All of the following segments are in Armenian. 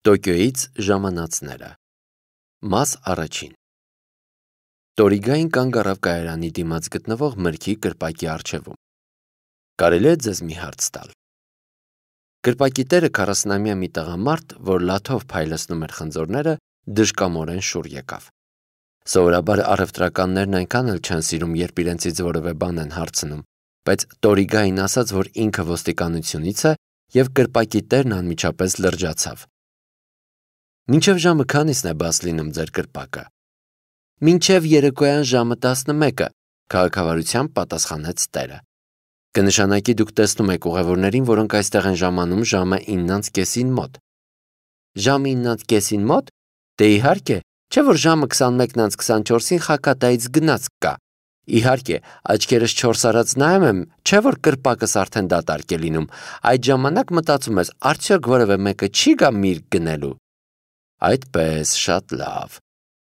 Տոկիոյից ժամանածները Մաս առաջին Տորիգային կանգ առավ կայարանի դիմաց գտնվող մրգի կրպակի առջևում։ Կարելի է ձեզ մի հարց տալ։ Կրպակի տերը 40-ամյա մի տղամարդ, որ լաթով փայլեցնում էր խնձորները, դժկամորեն շուռ եկավ։ Սովորաբար առևտրականներն այնքան էլ չեն սիրում, երբ իրենցից որևէ բան են հարցնում, բայց Տորիգային ասաց, որ ինքը ոստիկանությունից է, եւ կրպակի տերն անմիջապես լրջացավ։ Մինչև ժամը քանիսն է բաց լինում ձեր կրպակը։ Մինչև երեկոյան ժամը 11-ը, քաղաքավարությամբ պատասխանեց տերը։ Կնշանակի դուք տեսնում եք ուղևորներին, որոնք այստեղ են ժամանում ժամը 9:30-ին մոտ։ Ժամը 9:30-ին մոտ։ Դե իհարկե, չէ՞ որ ժամը 21:24-ին Խակատայից գնաց կա։ Իհարկե, աչքերս 4 արած նայում եմ, չէ՞ որ կրպակս արդեն դատարկ է լինում։ Այդ ժամանակ մտածում ես, արդյոք որևէ մեկը չի գա միրգ գնելու։ Այդպես, շատ լավ։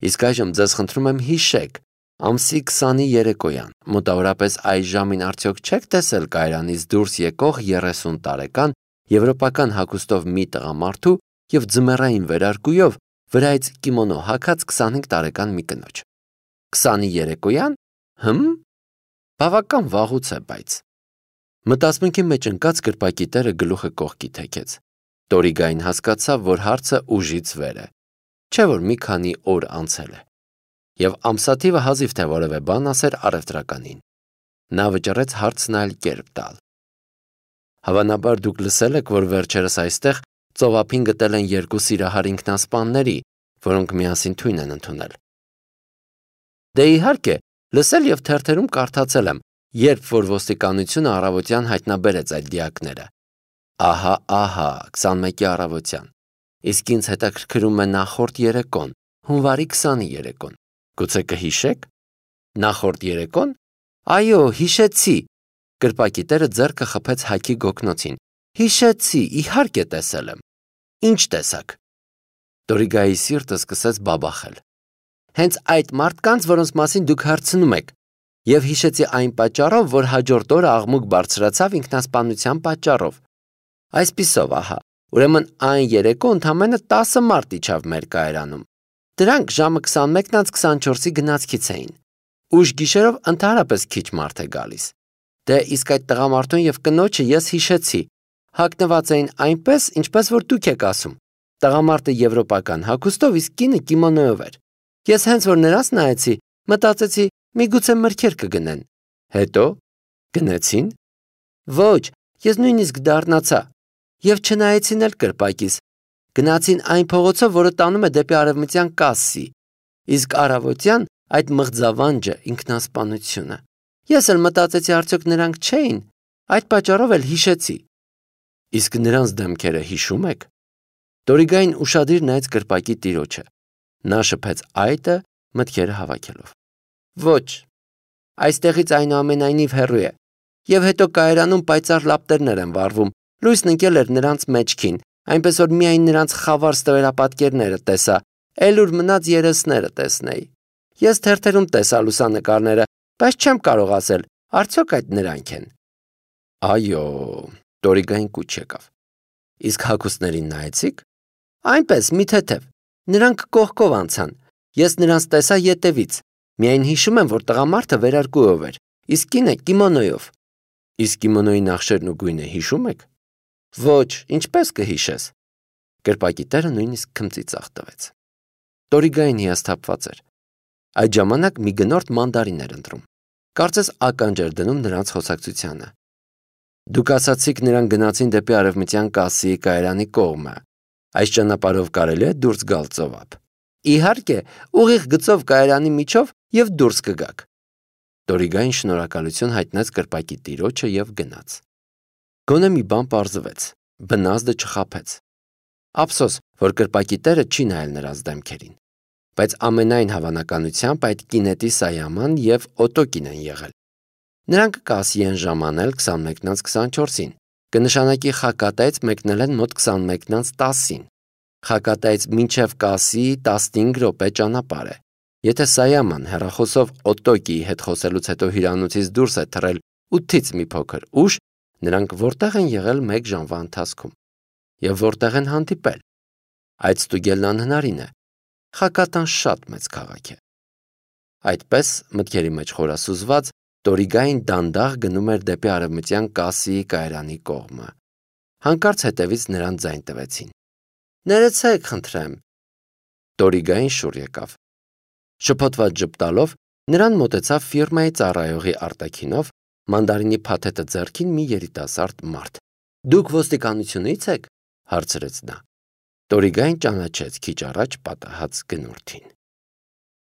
Իսկ այժմ ձեզ խնդրում եմ հիշեք, ամսի 20-ի երեկոյան, մոտավորապես այս ժամին արդյոք չեք տեսել կայարանից դուրս եկող 30 տարեկան եվրոպական հագուստով մի տղամարդու եւ ձմեռային վերարկուով վրայից կիմոնո հագած 25 տարեկան մի կնոջ։ 20-ի երեկոյան, բավական վաղուց է, բայց։ Մտածմունքի մեջ ընկած կրպակի տերը գլուխը կողքի թեքեց։ Տորիգային հասկացավ, որ հարցը ուժից վեր է, չէ՞ որ մի քանի օր անցել է, եւ ամսաթիվը հազիվ թե որևէ բան ասեր առևտրականին։ Նա վճռեց հարցն այլ կերպ տալ։ Հավանաբար դուք լսել եք, որ վերջերս այստեղ ծովափին գտել են 2 սիրահար ինքնասպանների, որոնք միասին թույն են ընդունել։ Դե իհարկե, լսել եւ թերթերում կարդացել եմ, երբ որ ոստիկանությունը առավոտյան հայտնաբերեց այդ դիակները։ Ահա, 21-ի առավոտյան։ Իսկ ինձ հետաքրքրում է նախորդ երեկոն, հունվարի 20-ի երեկոն։ Գուցե կհիշեք։ Նախորդ երեկոն։ Այո, հիշեցի։ Կրպակի տերը ձեռքը խփեց հագի գոգնոցին։ Հիշեցի, իհարկե տեսել եմ։ Ինչ տեսակ։ Տորիգայի սիրտը սկսեց բաբախել։ Հենց այդ մարդկանց, որոնց մասին դուք հարցնում եք։ Եվ հիշեցի այն պատճառով, որ հաջորդ օրը աղմուկ բարձրացավ ինքնասպանության պատճառով։ Այսպիսով, ահա, ուրեմն այն երեկո ընդամենը 10 մարդ իջավ մեր կայարանում։ Դրանք ժամը 21:24-ի գնացքից էին։ Ուշ գիշերով ընդհանրապես քիչ մարդ է գալիս։ Դե իսկ այդ տղամարդուն եւ կնոջը ես հիշեցի։ Հագնված էին այնպես, ինչպես որ դուք եք ասում։ Տղամարդը եվրոպական հագուստով, իսկ կինը կիմոնոյով էր։ Ես հենց որ նրանց նայեցի, մտածեցի, միգուցե մրգեր կգնեն։ Հետո գնեցին։ Ոչ, ես նույնիսկ դառնացա։ Եվ չնայեցին էլ կրպակիս։ Գնացին այն փողոցով, որը տանում է դեպի արևմտյան կասսի։ Իսկ առավոտյան այդ մղձավանջը ինքնասպանությունը։ Ես էլ մտածեցի, արդյոք նրանք չէին։ Այդ պատճառով էլ հիշեցի։ Իսկ նրանց դեմքերը հիշում եք։ Տորիգային ուշադիր նայեց կրպակի տիրոջը։ Նա շփեց այտը, մտքերը հավաքելով։ Ոչ, այստեղից այնուամենայնիվ հեռու է։ Եվ հետո կայարանում պայծառ լապտերներ են վառվում։ Լույսն ընկել էր նրանց մեջքին, այնպես որ միայն նրանց խավար ստվերապատկերները տեսա, էլ ուր մնաց երեսները տեսնեի։ Ես թերթերում տեսա լուսանկարները, բայց չեմ կարող ասել, արդյոք այդ նրանք են։ Այո, Տորիգային կուչ եկավ։ Իսկ հագուստներին նայեցիք։ Այնպես, մի թեթև։ Նրանք կողքով անցան։ Ես նրանց տեսա ետևից։ Միայն հիշում եմ, որ տղամարդը վերարկուով էր, իսկ կինը կիմոնոյով։ Իսկ կիմոնոյի նախշերն ու գույնը հիշում եք։ Ոչ, ինչպես կհիշես։ Կրպակի տերը նույնիսկ քմծիծաղ տվեց։ Տորիգային հիասթափված էր։ Այդ ժամանակ մի գնորդ մանդարին էր ընտրում։ Կարծես ականջ էր դնում նրանց խոսակցությանը։ Դուք ասացիք նրանք գնացին դեպի արևմտյան կասսիի կայարանի կողմը։ Այս ճանապարհով կարելի է դուրս գալ ծովափ։ Իհարկե, ուղիղ գծով կայարանի միջով եւ դուրս կգաք։ Տորիգային շնորհակալություն հայտնեց կրպակի տիրոջը եւ գնաց։ Գոնե մի բան պարզվեց, բնազդը չխաբեց։ Ափսոս, որ կրպակի տերը չի նայել նրանց դեմքերին։ Բայց ամենայն հավանականությամբ այդ կինետի Սայաման եւ Օտոկին են եղել։ Նրանք կասի են ժամանել 21:24-ին։ Կնշանակի Խակատայից մեկնել են մոտ 21:10-ին։ Խակատայից մինչև կասի 15 րոպե ճանապարհ է։ Եթե Սայաման հեռախոսով Օտոկիի հետ խոսելուց հետո հյուրանոցից դուրս է թռել 8-ից մի փոքր ուշ, նրանք որտեղ են եղել 1 ժամվա ընթացքում։ Եվ որտեղ են հանդիպել։ Այդ ստուգելն անհնարին է։ Խակատան շատ մեծ քաղաք է։ Այդպես, մտքերի մեջ խորասուզված, Տորիգային դանդաղ գնում էր դեպի արևմտյան Կասիի կայարանի կողմը։ Հանկարծ հետևից նրան ձայն տվեցին։ «Ներեցեք, խնդրեմ»։ Տորիգային շուռ եկավ։ Շփոթված ժպտալով նրան մոտեցավ ֆիրմայի ծառայողի արտաքինով, մանդարինի փաթեթը ձեռքին մի երիտասարդ մարդ։ «Դուք ոստիկանությունի՞ց եք», հարցրեց նա։ Տորիգային ճանաչեց քիչ առաջ պատահած գնորդին։